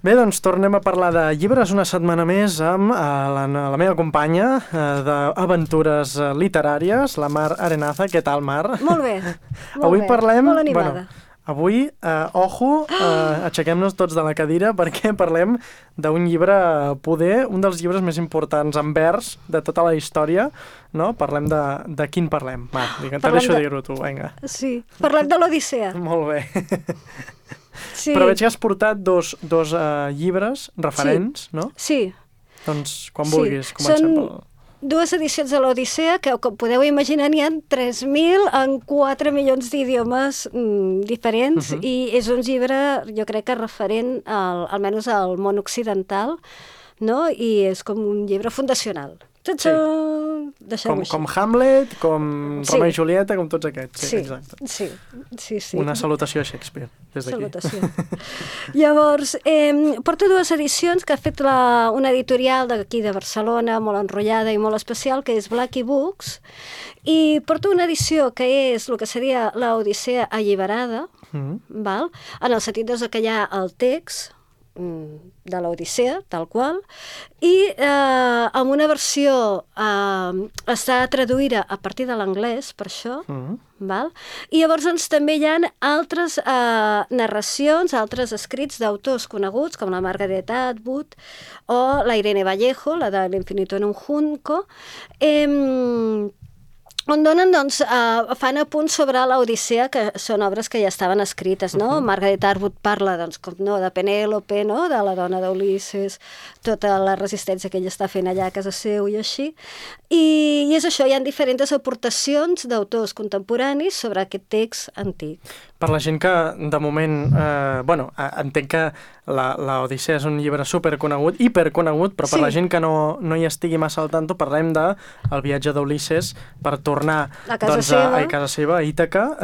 Bé, doncs tornem a parlar de llibres una setmana més amb la meva companya d'aventures literàries, la Mar Arenaza. Què tal, Mar? Molt bé, Avui parlem... molt animada. Avui, aixequem-nos tots de la cadira perquè parlem d'un llibre, poder, un dels llibres més importants en vers de tota la història, no? Parlem de quin parlem? Va, te deixo dir-ho tu, vinga. Sí, parlem de l'Odissea. Molt bé. Sí. Però veig que has portat dos llibres referents, sí. No? Sí. Doncs quan vulguis comencem pel... Dues edicions de l'Odissea que, com podeu imaginar, n'hi ha 3.000 en 4 milions d'idiomes diferents i és un llibre, jo crec que referent almenys al món occidental, no? I és com un llibre fundacional. Sí. Com Hamlet, com Romeo i Julieta, com tots aquests. Sí, exacte. Sí. Una salutació a Shakespeare, des d'aquí. Salutació. Llavors, porto dues edicions que ha fet una editorial d'aquí de Barcelona, molt enrotllada i molt especial, que és Blackie Books, i porto una edició que és el que seria l'Odissea alliberada, val? En el sentit que hi ha el text de l'Odissea, tal qual, i amb una versió està traduïda a partir de l'anglès, per això, val? I llavors doncs, també hi ha altres narracions, altres escrits d'autors coneguts, com la Margaret Atwood o la Irene Vallejo, la de L'Infinito en un Junco, on donen, doncs, fan apunts sobre l'Odissea, que són obres que ja estaven escrites, no? Margaret Atwood parla, doncs, com no, de Penèlope, no? De la dona d'Ulisses, tota la resistència que ella està fent allà a casa seu i així. I és això, hi ha diferents aportacions d'autors contemporanis sobre aquest text antic. Per la gent que, de moment, entenc que l'Odissea és un llibre superconegut, hiperconegut, però per la gent que no hi estigui massa al tanto, parlem del viatge d'Ulisses per tornar a casa seva, a Ítaca,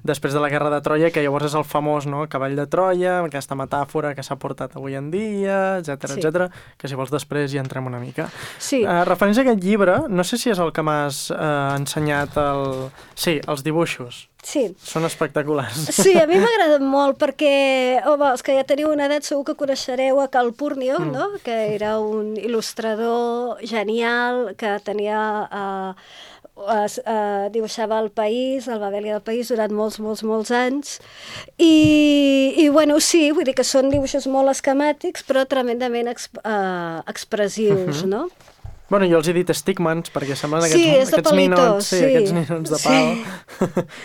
després de la guerra de Troia, que llavors és el famós, no?, cavall de Troia, aquesta metàfora que s'ha portat avui en dia, etcètera, que si vols després hi entrem una mica. Sí. Referents a aquest llibre, no sé si és el que m'has ensenyat els dibuixos. Sí. Són espectaculars. Sí, a mi m'ha agradat molt perquè, els que ja teniu una edat segur que coneixereu a Cal Púrnia, no? Que era un il·lustrador genial que tenia... dibuixava el país, el Babèlia del país, durant molts anys. I bueno, sí, vull dir que són dibuixos molt esquemàtics, però tremendament expressius, no? Bueno, jo els he dit estigmans, perquè semblen aquests ninots, aquests ninots de pal.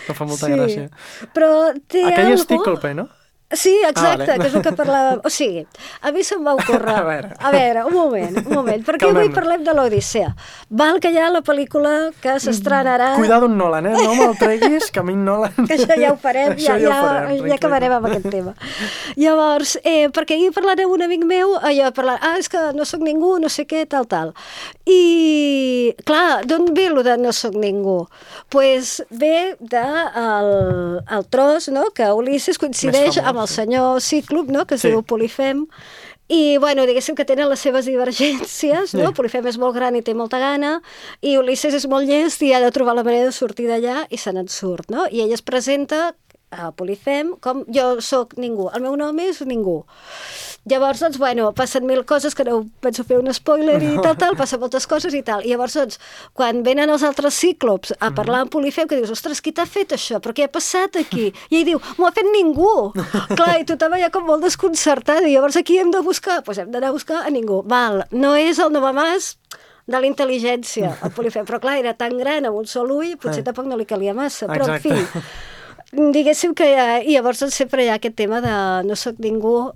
No fa molta gràcia. Però té aquell estíclope, no? Sí, exacte, que és el que parlàvem. O sigui, a mi se'm va ocórrer... A veure, un moment, perquè avui parlem de l'Odissea. Val que hi ha la pel·lícula que s'estrenarà... Cuidado un Nolan, no me'l treguis, que a mi Nolan... Que això ja ho farem, ja acabarem amb aquest tema. Llavors, perquè ahir parlant amb un amic meu, és que no sóc ningú, no sé què, tal. I, clar, d'on ve lo de no sóc ningú? Doncs ve del tros, no?, que Ulisses coincideix amb el senyor Cíclop, no?, que es diu Polifem, i, bueno, diguéssim que tenen les seves divergències, no? Polifem és molt gran i té molta gana, i Ulisses és molt llest i ha de trobar la manera de sortir d'allà i se n'en surt, no? I ell es presenta a Polifem com jo sóc ningú, el meu nom és ningú. Llavors, doncs, bueno, passen 1000 coses, que no penso fer un spoiler i tal, passen moltes coses i tal. I llavors, doncs, quan venen els altres cíclops a parlar amb Polifem, que dius, ostres, qui t'ha fet això? Però què ha passat aquí? I ell diu, m'ho ha fet ningú. Clar, i tothom allà com molt desconcertat. I llavors aquí hem de buscar? Doncs hem d'anar a buscar a ningú. Val, no és el novamàs de la intel·ligència, el Polifem, però clar, era tan gran amb un sol ull, potser tampoc no li calia massa. Però, en fi, diguéssim que llavors sempre hi ha aquest tema de no sóc ningú,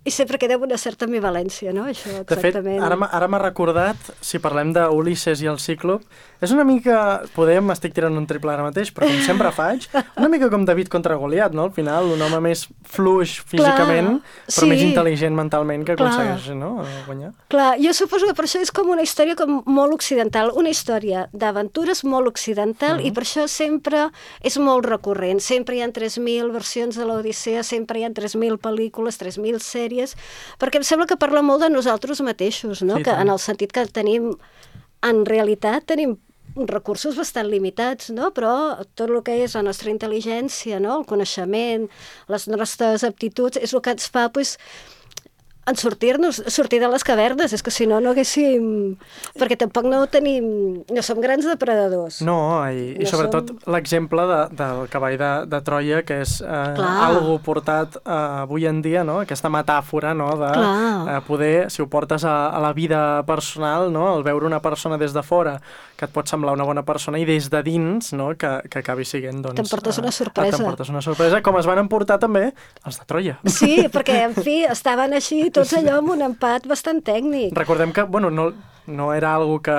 i sempre queda una certa ambivalència, no? Això, exactament. De fet, ara m'ha recordat, si parlem d'Ulisses i el Cíclop, és una mica, m'estic tirant un triple ara mateix, però com sempre faig, una mica com David contra Goliat, no? Al final, un home més fluix físicament, però més intel·ligent mentalment que aconsegueix, no?, guanyar. Clar, jo suposo que per això és com una història com molt occidental, una història d'aventures molt occidental, i per això sempre és molt recurrent. Sempre hi ha 3.000 versions de l'Odissea, sempre hi ha 3.000 pel·lícules, 3.000 sèries, perquè em sembla que parla molt de nosaltres mateixos, no? Que en el sentit que en realitat tenim recursos bastant limitats, no? Però tot el que és la nostra intel·ligència, no? El coneixement, les nostres aptituds, és el que ens fa, doncs, en sortir de les cavernes, és que si no, no haguéssim... Perquè tampoc no som grans depredadors. No, i sobretot l'exemple del cavall de Troia, que és algo portat avui en dia, no? Aquesta metàfora, no? De poder, si ho portes a la vida personal, no? El veure una persona des de fora que et pot semblar una bona persona i des de dins, no? Que acabi sent, doncs... T'emportes una sorpresa. T'emportes una sorpresa, com es van emportar també els de Troia. Sí, perquè, en fi, estaven així tots allò amb un empat bastant tècnic. Recordem que, bueno, no era algo que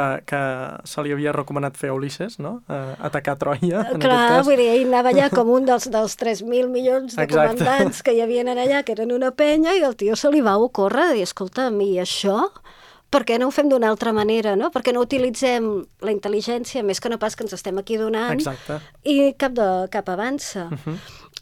se li havia recomanat fer a Ulisses, no? Atacar Troia, en aquest cas. Vull dir, ell anava allà com un dels 3.000 milions de comandants que hi havien allà, que eren una penya, i el tio se li va ocórrer de dir, escolta'm, i això... Per què no ho fem d'una altra manera, no? Per què no utilitzem la intel·ligència, més que no pas que ens estem aquí donant, i cap avança.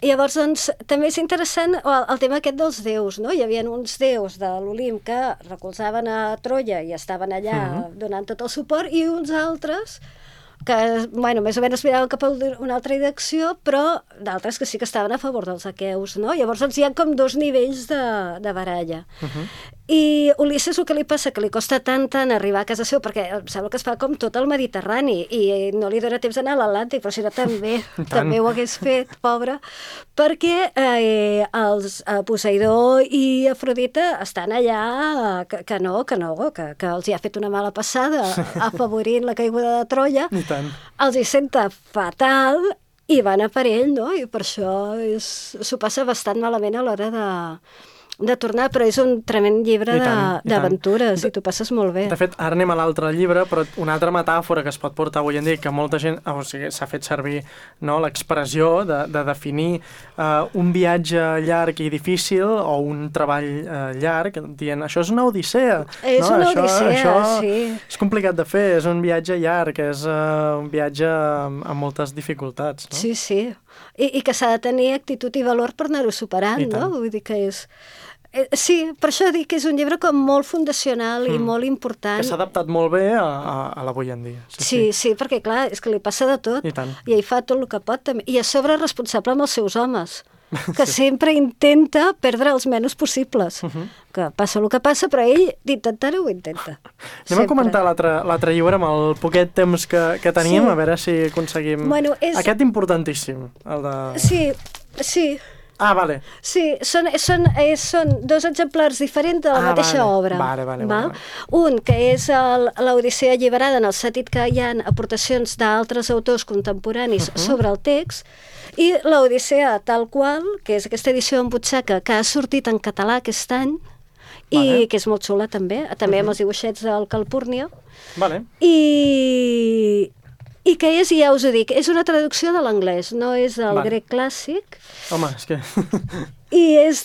I llavors, doncs, també és interessant el tema aquest dels déus, no? Hi havia uns déus de l'Olimp que recolzaven a Troia i estaven allà donant tot el suport, i uns altres que, bueno, més o menys miraven cap a una altra direcció, però d'altres que sí que estaven a favor dels aqueus, no? Llavors, doncs, hi ha com dos nivells de baralla. I Ulisses, el que li passa, que li costa tant arribar a casa seu, perquè em sembla que es fa com tot el Mediterrani, i no li dona temps d'anar a l'Atlàntic, però si no també ho hagués fet, pobre, perquè els Poseidó i Afrodita estan allà que els hi ha fet una mala passada afavorint la caiguda de Troia, els hi senta fatal i van a per ell, no? I per això s'ho passa bastant malament a l'hora de tornar, però és un tremend llibre d'aventures i t'ho passes molt bé. De fet, ara anem a l'altre llibre, però una altra metàfora que es pot portar avui en dia, que molta gent s'ha fet servir, no, l'expressió de definir un viatge llarg i difícil o un treball llarg, dient, això és una odissea. És una odissea, sí. És complicat de fer, és un viatge llarg, és un viatge amb moltes dificultats. No? Sí, sí. I que s'ha de tenir actitud i valor per anar-ho superant, no? Vull dir que és... Sí, per això dic que és un llibre com molt fundacional i molt important. Que s'ha adaptat molt bé a l'avui en dia. Sí, perquè clar, és que li passa de tot. I ell fa tot el que pot també. I a sobre responsable amb els seus homes, que sempre intenta perdre els menys possibles. Que passa el que passa, però ell d'intentar-ho ho intenta. Anem a comentar l'altre llibre amb el poquet temps que tenim, a veure si aconseguim... Aquest importantíssim, el de... Sí. Ah, vale. Sí, són dos exemplars diferents de la mateixa obra. Vale. Un, que és l'Odissea alliberada, en el sentit que hi ha aportacions d'altres autors contemporanis sobre el text, i l'Odissea tal qual, que és aquesta edició en butxaca que ha sortit en català aquest any, i que és molt xula també amb els dibuixets del Calpurnia. I que és, ja us ho dic, és una traducció de l'anglès, no és del grec clàssic. Home, és que... I és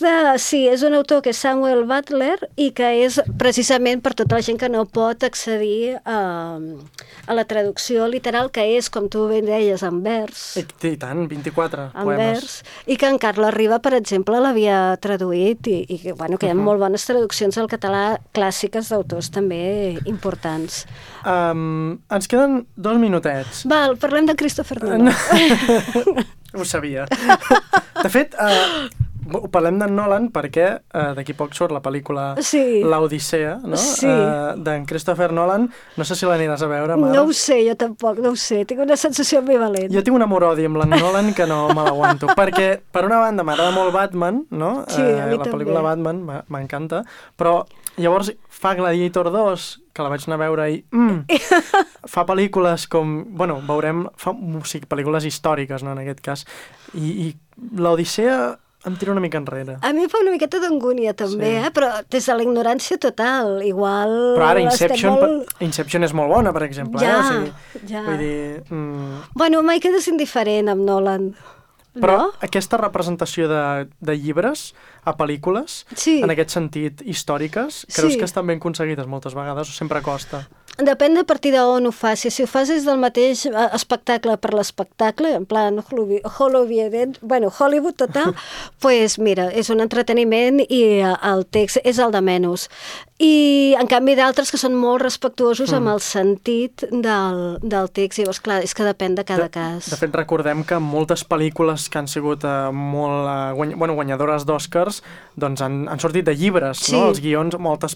un autor que és Samuel Butler i que és precisament per tota la gent que no pot accedir a la traducció literal, que és, com tu ben deies, en vers. I tant, 24 en poemes. Vers, i que en Carles Riba, per exemple, l'havia traduït i que hi ha molt bones traduccions al català clàssiques d'autors també importants. Ens queden 2 minutets. Val, parlem de Christopher Nolan. Ho sabia. De fet, parlem d'en Nolan perquè d'aquí poc surt la pel·lícula L'Odissea, no? D'en Christopher Nolan. No sé si l'aniràs a veure, Mar. No ho sé, jo tampoc, no ho sé. Tinc una sensació ambivalent. Jo tinc un amor-odi amb l'en Nolan que no me l'aguanto. Perquè, per una banda, m'agrada molt Batman, no? Sí, a mi la pel·lícula Batman m'encanta, però llavors fa Gladiator 2, que la vaig anar a veure i fa pel·lícules com, bueno, veurem, pel·lícules històriques, no, en aquest cas, i l'Odissea em tira una mica enrere. A mi em fa una miqueta d'angúnia també, però des de la ignorància total, igual... Però ara Inception és molt bona, per exemple. Vull dir... Bueno, mai quedes indiferent amb Nolan. Però aquesta representació de llibres a pel·lícules, en aquest sentit, històriques, creus que estan ben aconseguides moltes vegades o sempre costa? Depèn de partir d'on ho facis. Si ho fas des del mateix espectacle per l'espectacle, en plan Hollywood total, doncs mira, és un entreteniment i el text és el de menys. I, en canvi, d'altres que són molt respectuosos amb el sentit del text. Llavors, clar, és que depèn de cada cas. De fet, recordem que moltes pel·lícules que han sigut molt guanyadores d'Oscars doncs han sortit de llibres, no? Els guions, moltes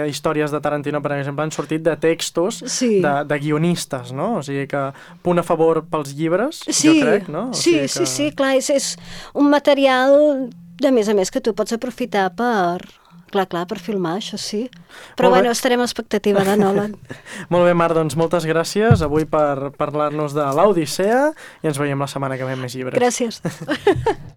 històries de Tarantino, per exemple, han sortit de textos de guionistes, no? O sigui que punt a favor pels llibres, jo crec, no? Sí, clar, és un material, de més a més, que tu pots aprofitar per filmar, això sí. Però bueno, estarem a l'expectativa de Nolan. Molt bé, Mar, doncs moltes gràcies avui per parlar-nos de l'Odissea i ens veiem la setmana que ve amb més llibres. Gràcies.